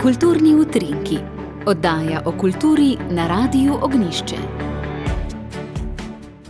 Kulturni utrinki. Oddaja o kulturi na Radiu Ognjišče.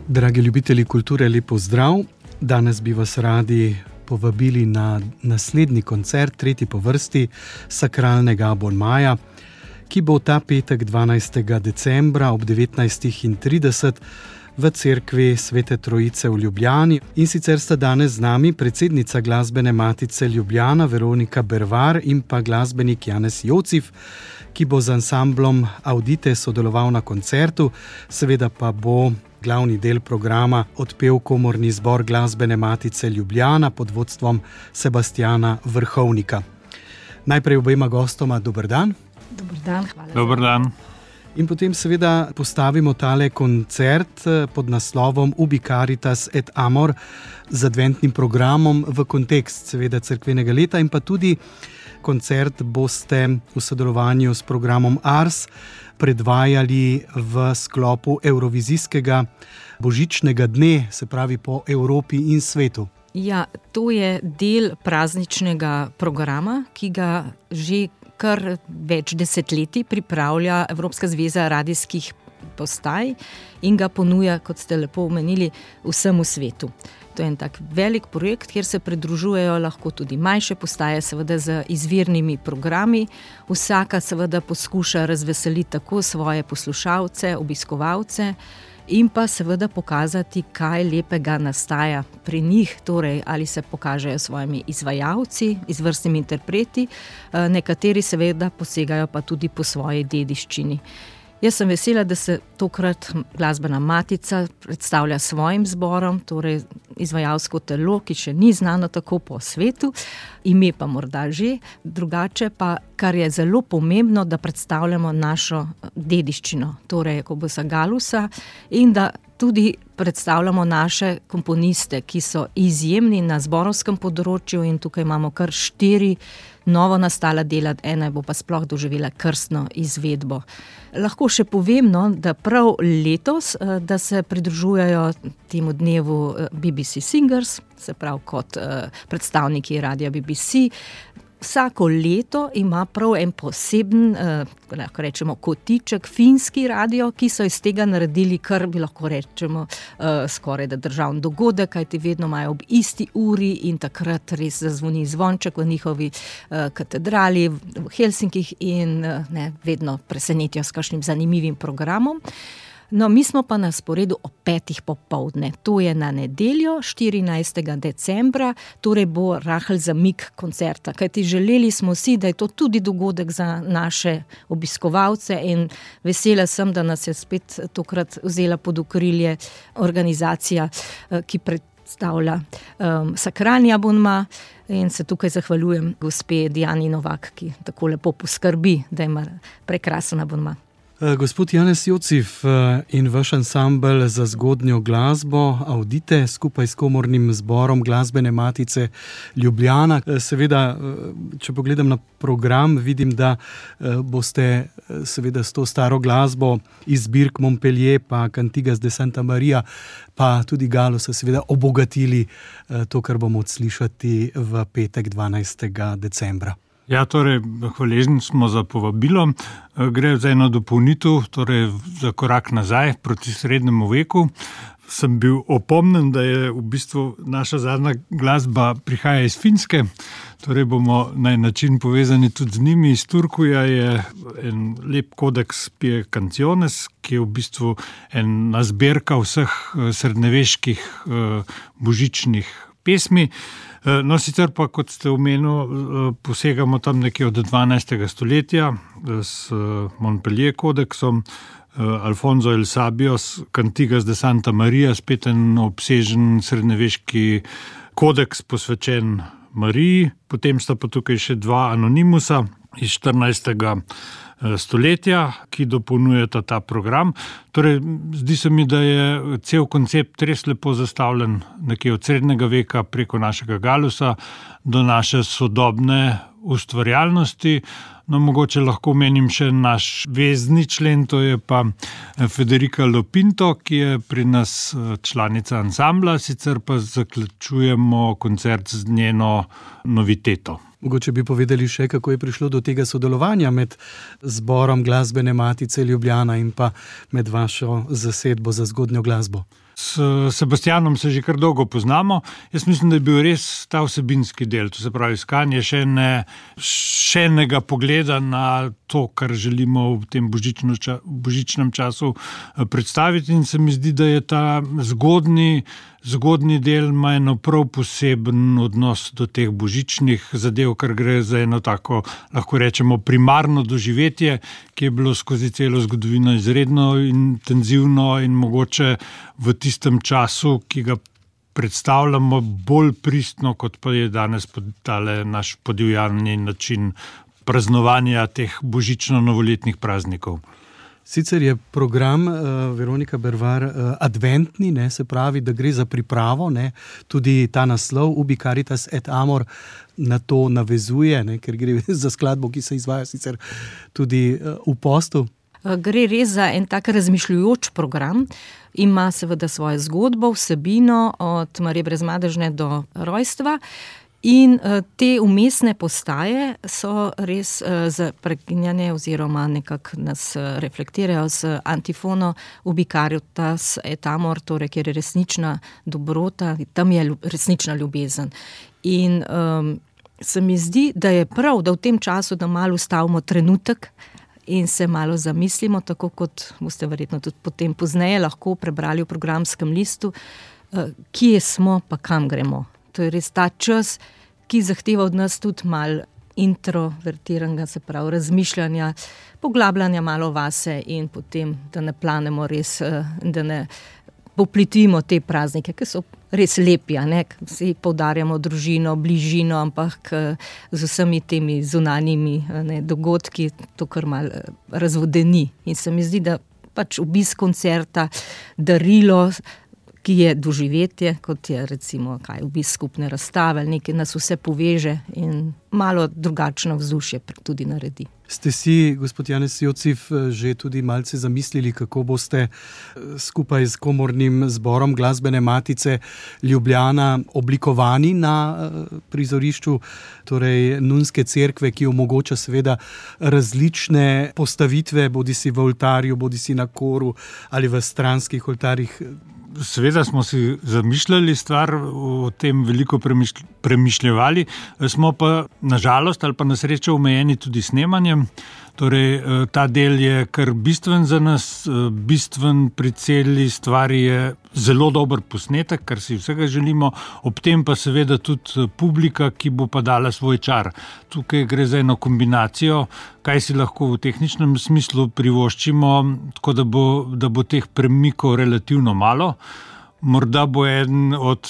Dragi ljubitelji kulture, lep pozdrav. Danes bi vas radi povabili na naslednji koncert, tretji po vrsti sakralnega abonmaja, ki bo ta petek 12. decembra ob 19.30 v cerkvi Svete Trojice v Ljubljani. In sicer sta danes z nami predsednica Glasbene matice Ljubljana Veronika Bervar in pa glasbenik Janez Jocif, ki bo z ansamblom Audite sodeloval na koncertu, seveda pa bo glavni del programa odpel komorni zbor Glasbene matice Ljubljana pod vodstvom Sebastjana Vrhovnika. Najprej obema gostoma dober dan. Dober dan, hvala. Dober dan. In potem seveda postavimo tale koncert pod naslovom Ubi Caritas et Amor z adventnim programom v kontekst seveda cerkvenega leta, in pa tudi koncert boste v sodelovanju s programom Ars predvajali v sklopu Evrovizijskega božičnega dne, se pravi po Evropi in svetu. Ja, to je del prazničnega programa, ki ga že kar več desetletij pripravlja Evropska zveza radijskih postaj in ga ponuja, kot ste lepo omenili, vsemu svetu. To je en tak velik projekt, kjer se pridružujejo lahko tudi manjše postaje, seveda z izvirnimi programi. Vsaka seveda poskuša razveseliti tako svoje poslušalce, obiskovalce in pa seveda pokazati, kaj lepega nastaja pri njih, torej ali se pokažejo svojimi izvajalci, izvrstnimi interpreti, nekateri seveda posegajo pa tudi po svoji dediščini. Jaz sem vesela, da se tokrat Glasbena matica predstavlja svojim zborom, torej izvajalsko telo, ki še ni znano tako po svetu, ime pa morda že, drugače pa, kar je zelo pomembno, da predstavljamo našo dediščino, torej Jakobusa Gallusa, in da tudi predstavljamo naše komponiste, ki so izjemni na zborovskem področju, in tukaj imamo kar 4 novo nastala dela, ena bo pa sploh doživela krstno izvedbo. Lahko še povem, da prav letos, da se pridružujejo temu dnevu BBC Singers, se pravi kot predstavniki radia BBC. Vsako leto ima prav en poseben, lahko rečemo, kotiček, finski radio, ki so iz tega naredili, kar bi lahko rečemo skoraj da državni dogodek, kajti vedno imajo ob isti uri in takrat res zazvoni zvonček v njihovi katedrali v Helsinkih in vedno presenetijo s kakšnim zanimivim programom. No, mi smo pa na sporedu ob 5. popoldne. To je na nedeljo, 14. decembra, torej bo rahel zamik koncerta. Kajti želeli smo si, da je to tudi dogodek za naše obiskovalce, in vesela sem, da nas je spet tokrat vzela pod okrilje organizacija, ki predstavlja sakralni abonma, in se tukaj zahvaljujem gospe Dijani Novak, ki tako lepo poskrbi, da ima prekrasen abonma. Gospod Janez Jocif in vaš ansambel za zgodnjo glasbo Audite skupaj s komornim zborom Glasbene matice Ljubljana. Seveda, če pogledam na program, vidim, da boste seveda s to staro glasbo iz zbirk Montpellier pa Cantigas de Santa Maria pa tudi Gallusa seveda obogatili to, kar bomo odslišati v petek 12. decembra. Ja, torej, hvaležni smo za povabilo. Gre za eno dopolnitev, torej za korak nazaj proti srednjemu veku. Sem bil opomnen, da je v bistvu naša zadnja glasba prihaja iz Finske, torej bomo na en način povezani tudi z njimi. Iz Turkuja je en lep kodeks Pie Canciones, ki je v bistvu ena zbirka vseh srednjeveških božičnih pesmi. No, sicer pa, kot ste omenili, posegamo tam nekje od 12. stoletja s Montpellier kodeksom, Alfonso El Sabio, Cantigas de Santa Maria, spet en obsežen srednjeveški kodeks posvečen Mariji, potem sta pa tukaj še 2 anonimusa iz 14. stoletja, ki dopolnjujeta ta program. Torej, zdi se mi, da je cel koncept res lepo zastavljen nekje od srednjega veka preko našega Gallusa do naše sodobne ustvarjalnosti. No, mogoče lahko omenim še naš vezni člen, to je pa Federica Lopinto, ki je pri nas članica ansambla, sicer pa zaključujemo koncert z njeno noviteto. Mogoče bi povedali še, kako je prišlo do tega sodelovanja med zborom Glasbene matice Ljubljana in pa med vašo zasedbo za zgodnjo glasbo. S Sebastianom se že kar dolgo poznamo. Jaz mislim, da je bil res ta vsebinski del, to se pravi iskanje še enega pogleda na to, kar želimo v tem božičnem času predstaviti, in se mi zdi, da je ta zgodnji del ima eno prav poseben odnos do teh božičnih zadev, ker gre za eno tako, lahko rečemo, primarno doživetje, ki je bilo skozi celo zgodovino izredno intenzivno in mogoče v tistem času, ki ga predstavljamo, bolj pristno, kot pa je danes tale naš podivjani način praznovanja teh božično-novoletnih praznikov. Sicer je program, Veronika Bervar, adventni, ne, se pravi, da gre za pripravo, ne, tudi ta naslov Ubi Caritas et Amor na to navezuje, ne, ker gre za skladbo, ki se izvaja sicer tudi v postu. Gre res za en tak razmišljujoč program, ima seveda svojo zgodbo, vsebino od Marije Brezmadežne do rojstva. In te umestne postaje so res prekinjene oziroma nekako nas reflektirajo z antifono Ubi Caritas et Amor, torej kjer je resnična dobrota, tam je resnična ljubezen. In se mi zdi, da je prav, da v tem času, da malo ustavimo trenutek in se malo zamislimo, tako kot boste verjetno tudi potem pozneje lahko prebrali v programskem listu, kje smo pa kam gremo. To je res ta čas, ki zahteva od nas tudi malo introvertiranega, se pravi razmišljanja, poglabljanja malo vase in potem, da ne planemo res, da ne poplitimo te praznike, ki so res lepi, ne? Vsi poudarjamo družino, bližino, ampak z vsemi temi zunanjimi dogodki to kar malo razvodeni. In se mi zdi, da pač obisk koncerta, darilo, ki je doživetje, kot je recimo obisk skupne razstave, nekaj nas vse poveže in malo drugačno vzdušje tudi naredi. Ste si, gospod Janez Jocif, že tudi malce zamislili, kako boste skupaj s komornim zborom Glasbene matice Ljubljana oblikovani na prizorišču, torej nunske cerkve, ki omogoča seveda različne postavitve, bodisi v oltarju, bodisi na koru ali v stranskih oltarjih? Seveda smo si zamišljali stvar, o tem veliko premišljevali, smo pa nažalost ali pa na srečo omejeni tudi snemanjem. Torej, ta del je kar bistven za nas, bistven pri celi stvari je zelo dober posnetek, kar si vsega želimo, ob tem pa seveda tudi publika, ki bo pa dala svoj čar. Tukaj gre za eno kombinacijo, kaj si lahko v tehničnem smislu privoščimo, tako da bo teh premikov relativno malo. Morda bo eden od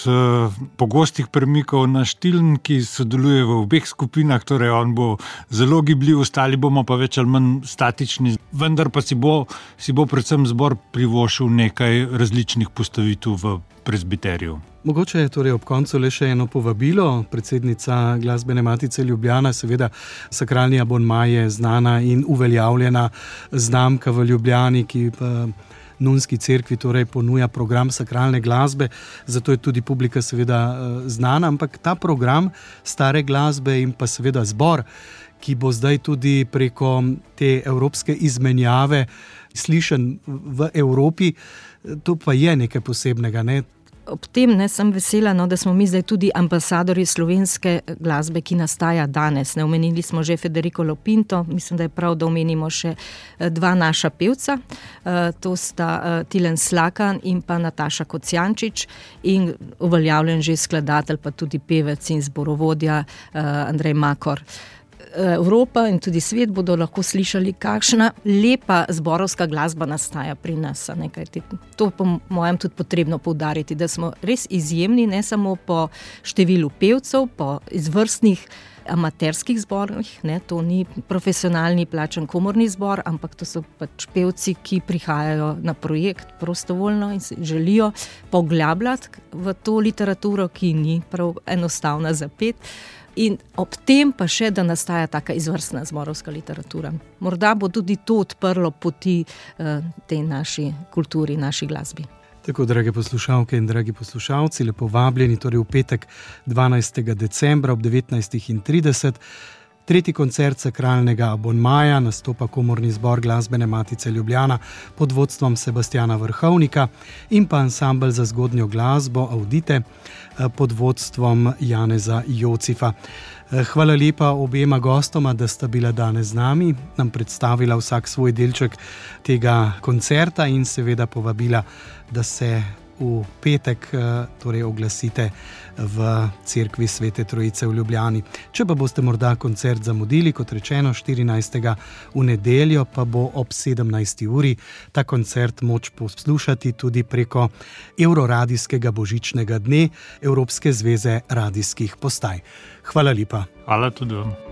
pogostih premikov naš Tilen, ki sodeluje v obeh skupinah, torej on bo zelo gibljiv, ostali bomo pa več ali manj statični, vendar pa si bo predvsem zbor privoščil nekaj različnih postavitev v prezbiterju. Mogoče je torej ob koncu le še eno povabilo. Predsednica Glasbene matice Ljubljana, seveda sakralni abonma je znana in uveljavljena znamka v Ljubljani, ki pa nunski cerkvi torej ponuja program sakralne glasbe, zato je tudi publika seveda znana, ampak ta program stare glasbe in pa seveda zbor, ki bo zdaj tudi preko te evropske izmenjave slišen v Evropi, to pa je nekaj posebnega, ne? Ob tem sem vesela, da smo mi zdaj tudi ambasadorji slovenske glasbe, ki nastaja danes. Omenili smo že Federico Lopinto, mislim, da je prav, da omenimo še dva naša pevca, to sta Tilen Slakan in pa Nataša Kocijančič in uveljavljen že skladatelj, pa tudi pevec in zborovodja Andrej Makor. Evropa in tudi svet bodo lahko slišali, kakšna lepa zborovska glasba nastaja pri nas. To po mojem tudi potrebno poudariti, da smo res izjemni, ne samo po številu pevcev, po izvrstnih amaterskih zborih, to ni profesionalni plačan komorni zbor, ampak to so pač pevci, ki prihajajo na projekt prostovoljno in se želijo poglabljati v to literaturo, ki ni prav enostavna za pet. In ob tem pa še, da nastaja taka izvrstna zborovska literatura. Morda bo tudi to odprlo poti tej naši kulturi, naši glasbi. Tako, drage poslušalke in dragi poslušalci, lepo vabljeni torej v petek 12. decembra ob 19:30. Tretji koncert Sakralnega abonmaja, nastopa Komorni zbor Glasbene matice Ljubljana pod vodstvom Sebastiana Vrhovnika in pa ansambel za zgodnjo glasbo Audite pod vodstvom Janeza Jocifa. Hvala lepa obema gostoma, da sta bila danes z nami, nam predstavila vsak svoj delček tega koncerta in seveda povabila, da se v petek torej oglasite v Cerkvi Svete Trojice v Ljubljani. Če pa boste morda koncert zamudili, kot rečeno 14. v nedeljo, pa bo ob 17. uri ta koncert moč poslušati tudi preko Euroradijskega božičnega dne Evropske zveze radijskih postaj. Hvala lepa. Hvala tudi vam.